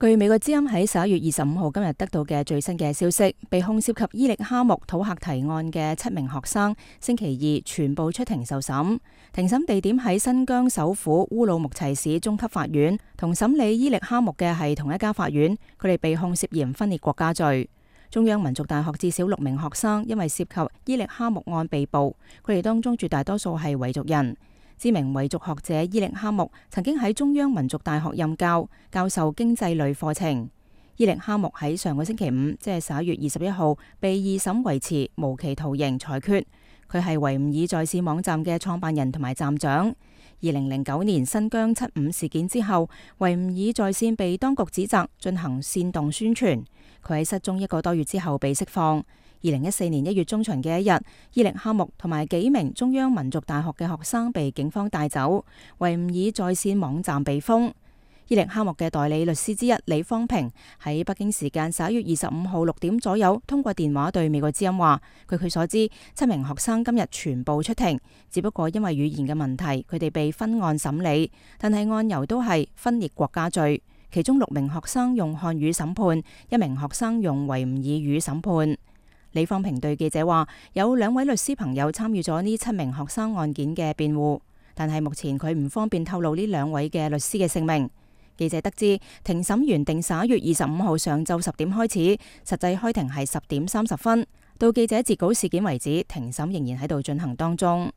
據美國之音喺11月25號今日得到嘅最新嘅消息，被控涉及伊力哈木土客提案嘅7名學生，星期二全部出庭受審。庭審地點喺新疆首府烏魯木齊市中級法院，同審理伊力哈木嘅係同一家法院。佢哋被控涉嫌分裂國家罪。中央民族大學至少6名學生因為涉及伊力哈木案被捕，佢哋當中絕大多數係維族人。知名維族學者伊力哈木曾經喺中央民族大學任教，教授經濟類課程。伊力哈木喺上個星期五，即係11月21號，被二審維持無期徒刑裁決。佢係維吾爾在線網站嘅創辦人同埋站長。2009年新疆75事件之後，維吾爾在線被當局指責進行煽動宣傳。佢喺失蹤1個多月之後被釋放。2014年1月中旬嘅一日，伊力哈木同埋幾名中央民族大學嘅學生被警方帶走，維吾爾在線網站被封。伊力哈木嘅代理律師之一李方平喺北京時間11月25號6點左右通過電話對美國之音話，據佢所知，7名學生今日全部出庭，只不過因為語言嘅問題，佢哋被分案審理，但係案由都係分裂國家罪。其中6名學生用漢語審判，1名學生用維吾爾語審判。李方平對記者話，有2位律師朋友參與咗呢7名學生案件嘅辯護，但係目前佢唔方便透露呢2位嘅律師嘅姓名。記者得知，庭審原定11月25號上晝10點開始，實際開庭係10點30分。到記者截稿事件為止，庭審仍然喺度進行當中。